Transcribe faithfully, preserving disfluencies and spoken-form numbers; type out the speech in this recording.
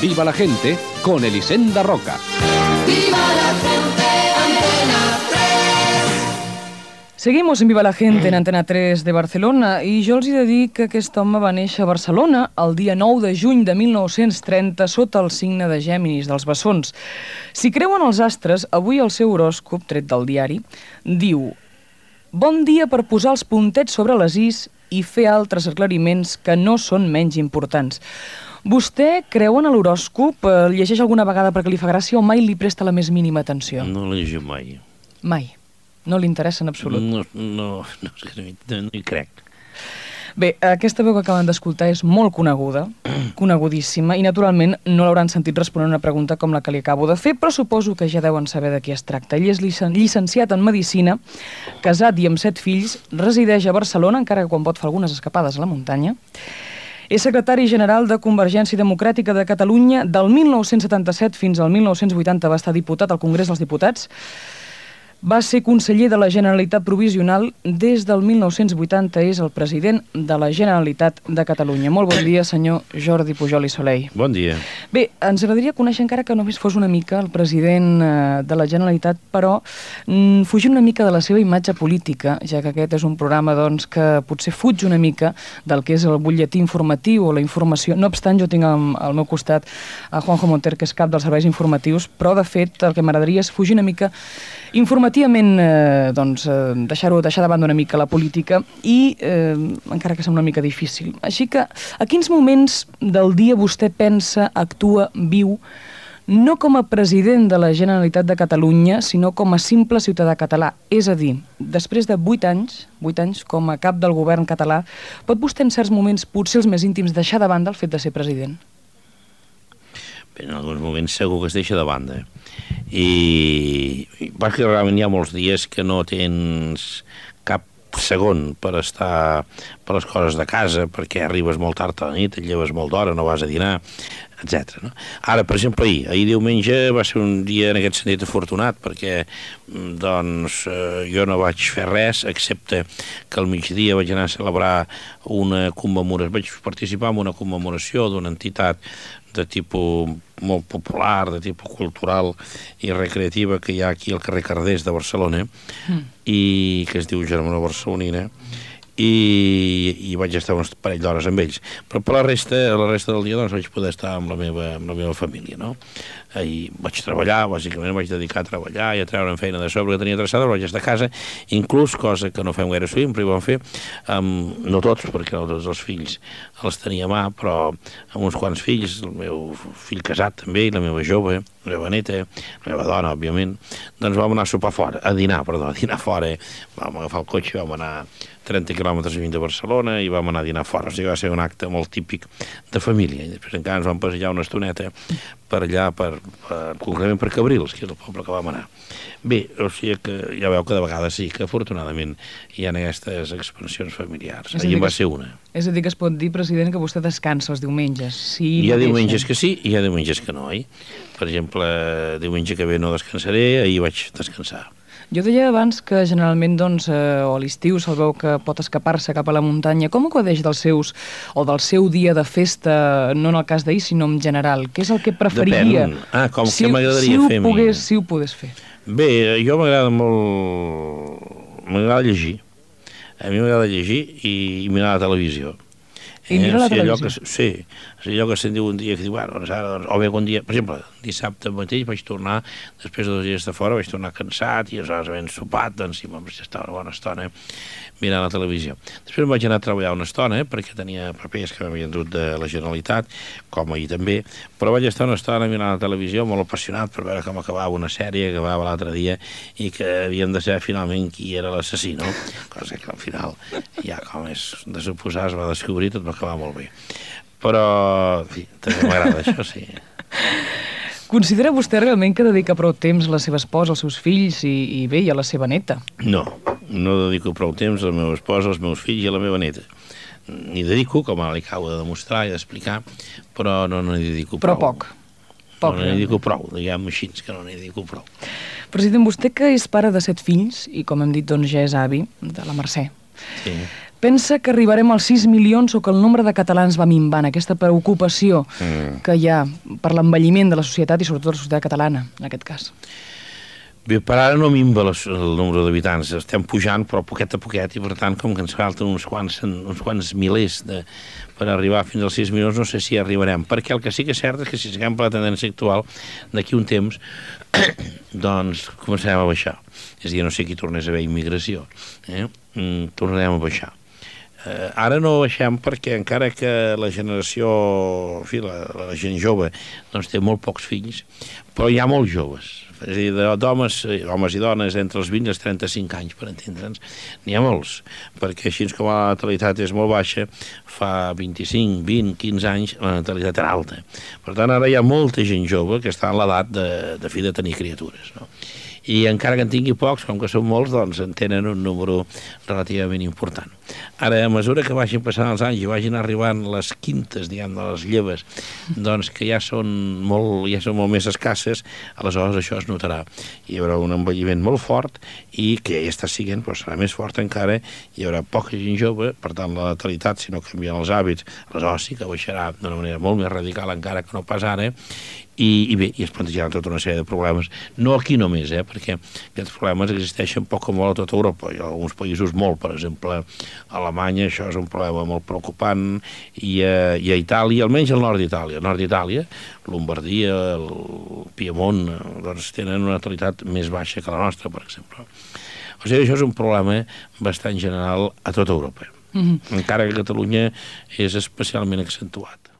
Viva la gente con Elisenda Roca. ¡Viva la gente! Antena tres. Seguimos en Viva la gente en Antena tres de Barcelona i jo els he de dir que aquest home va néixer a Barcelona el dia nou de juny de mil nou-cents trenta sota el signe de Gèminis dels bessons. Si creuen els astres, avui el seu horòscop, tret del diari, diu: bon dia per posar els puntets sobre les is i fer altres aclariments que no són menys importants. Vostè creu en l'horòscop? El llegeix alguna vegada perquè li fa gràcia o mai li presta la més mínima atenció? No l'he llegit mai. Mai. No li interessa en absolut. No, no, no, no, no hi crec. Bé, aquesta veu que acaben d'escoltar és molt coneguda, conegudíssima, i naturalment no l'hauran sentit respondre una pregunta com la que li acabo de fer, però suposo que ja deuen saber de qui es tracta. Ell és llicenciat en Medicina, casat i amb set fills, resideix a Barcelona, encara que quan pot fa algunes escapades a la muntanya. És secretari general de Convergència Democràtica de Catalunya del mil nou-cents setanta-set fins al mil nou-cents vuitanta, va estar diputat al Congrés dels Diputats. Va ser conseller de la Generalitat Provisional. Des del mil nou-cents vuitanta és el president de la Generalitat de Catalunya. Molt bon dia, senyor Jordi Pujol i Soleil. Bon dia. Bé, ens agradaria conèixer encara que només fos una mica el president de la Generalitat, però mm, fugir una mica de la seva imatge política, ja que aquest és un programa doncs, que potser fuig una mica del que és el butlletí informatiu o la informació. No obstant, jo tinc al, al meu costat a Juanjo Monter, que és cap dels serveis informatius, però de fet el que m'agradaria és fugir una mica informativament, eh, doncs, eh, deixar-ho deixar de banda una mica la política i, eh, encara que sembla una mica difícil. Així que, a quins moments del dia vostè pensa, actua, viu, no com a president de la Generalitat de Catalunya, sinó com a simple ciutadà català? És a dir, després de vuit anys, vuit anys com a cap del govern català, pot vostè en certs moments, potser els més íntims, deixar de banda el fet de ser president? Bé, en alguns moments segur que es deixa de banda. I, i perquè realment hi ha molts dies que no tens cap segon per estar per les coses de casa, perquè arribes molt tard a la nit, et lleves molt d'hora, no vas a dinar, etcètera. No? Ara, per exemple, ahir, ahir diumenge va ser un dia en aquest sentit afortunat, perquè doncs, eh, jo no vaig fer res, excepte que al migdia vaig anar a celebrar una commemoració, vaig participar en una commemoració d'una entitat de tipus molt popular, de tipus cultural i recreativa que hi ha aquí al carrer Cardés de Barcelona, mm. i que es diu Germana Barcelonina, i, i vaig estar un parell d'hores amb ells. Però per la resta, la resta del dia doncs, vaig poder estar amb la meva, amb la meva família, no? Ahir vaig treballar, bàsicament vaig dedicar a treballar i a treure'm feina de sobre que tenia traçada, vaig estar a casa, inclús, cosa que no fem gaire sovint, però hi vam fer, um, no tots, perquè no tots els fills els tenia a mà, però amb uns quants fills, el meu fill casat també, i la meva jove, la meva neta, la meva dona, òbviament, doncs vam anar a sopar fora, a dinar, perdó, a dinar fora, vam agafar el cotxe, vam anar trenta quilòmetres lluny de Barcelona i vam anar a dinar fora. O sigui, va ser un acte molt típic de família. I després encara ens vam passejar una estoneta per allà, per, per, concretament per Cabrils, que és el poble que vam anar. Bé, o sigui que ja veu que de vegades sí, que afortunadament hi ha aquestes expansions familiars. Ahir va ser una. És a dir, que es pot dir, president, que vostè descansa els diumenges. Sí, hi ha diumenges que sí i hi ha diumenges que no, oi? Per exemple, diumenge que ve no descansaré, ahir vaig descansar. Jo deia abans que generalment, doncs, eh, o a l'estiu se'l veu que pot escapar-se cap a la muntanya. Com acudeix dels seus, o del seu dia de festa, no en el cas d'ahir, sinó en general? Què és el que preferiria? Depèn. Ah, com si, que m'agradaria si fer... Pogués, si ho pogués fer. Bé, jo m'agrada molt... M'agrada llegir. A mi m'agrada llegir i, i mirar la televisió. I mira la eh, televisió? Que, sí, és allò que se'n diu un dia que diu, bueno, doncs ara, doncs, o bé un dia, per exemple, dissabte mateix vaig tornar, després de dos dies de fora, vaig tornar cansat i aleshores ben sopat, doncs sí, vam estar una bona estona mirant la televisió. Després vaig anar a treballar una estona, eh, perquè tenia papers que m'havien dut de la Generalitat, com ahir també, però vaig estar una estona mirant la televisió molt apassionat per veure com acabava una sèrie que acabava l'altre dia i que havíem de saber finalment qui era l'assassí, no? Cosa que al final, ja com és de suposar, es va descobrir, tot va acabar molt bé. Però, en fi, també m'agrada això, sí. Considera vostè realment que dedica prou temps a la seva esposa, als seus fills i, i bé, i a la seva neta? No, no dedico prou temps a la meva esposa, als meus fills i a la meva neta. N'hi dedico, com ara li acabo de demostrar i d'explicar, però no n'hi dedico prou. Però poc. poc no n'hi dedico prou, diguem així, que no n'hi dedico prou. President, vostè que és pare de set fills i, com hem dit, doncs ja és avi de la Mercè. Sí. Pensa que arribarem als sis milions o que el nombre de catalans va minvant, aquesta preocupació mm. que hi ha per l'envelliment de la societat i sobretot la societat catalana, en aquest cas? Bé, per ara no minva el nombre d'habitants, estem pujant però poquet a poquet i per tant com que ens falten uns quants, uns quants milers de, per arribar fins als sis milions no sé si arribarem, perquè el que sí que és cert és que si seguim per la tendència actual d'aquí un temps doncs començarem a baixar, és a dir, no sé qui tornés a haver immigració, eh? mm, tornarem a baixar. Eh, ara no baixem perquè encara que la generació, en fi, la, la gent jove doncs té molt pocs fills, però hi ha molts joves, és a dir, d'homes, homes i dones entre els vint i els trenta-cinc anys, per entendre'ns, n'hi ha molts, perquè així com la natalitat és molt baixa, fa vint-i-cinc, vint, quinze anys la natalitat era alta. Per tant, ara hi ha molta gent jove que està en l'edat de, de fi de tenir criatures, no? I encara que en tingui pocs, com que són molts, doncs en tenen un número relativament important. Ara, a mesura que vagin passant els anys i vagin arribant les quintes, diguem, de les lleves, doncs que ja són molt, ja són molt més escasses, aleshores això es notarà. Hi haurà un envelliment molt fort i que ja està siguent, però serà més fort encara, hi haurà poca gent jove, per tant la natalitat, si no canvien els hàbits, aleshores sí que baixarà d'una manera molt més radical encara que no pas ara, I, i bé, i es plantejaran tota una sèrie de problemes, no aquí només, eh, perquè aquests problemes existeixen poc o molt a tota Europa, i a alguns països molt, per exemple, a Alemanya això és un problema molt preocupant, i a, i a Itàlia, almenys al nord d'Itàlia, al nord d'Itàlia, Lombardia, el Piemont, doncs tenen una natalitat més baixa que la nostra, per exemple. O sigui, això és un problema bastant general a tota Europa, mm-hmm. encara que a Catalunya és especialment accentuat.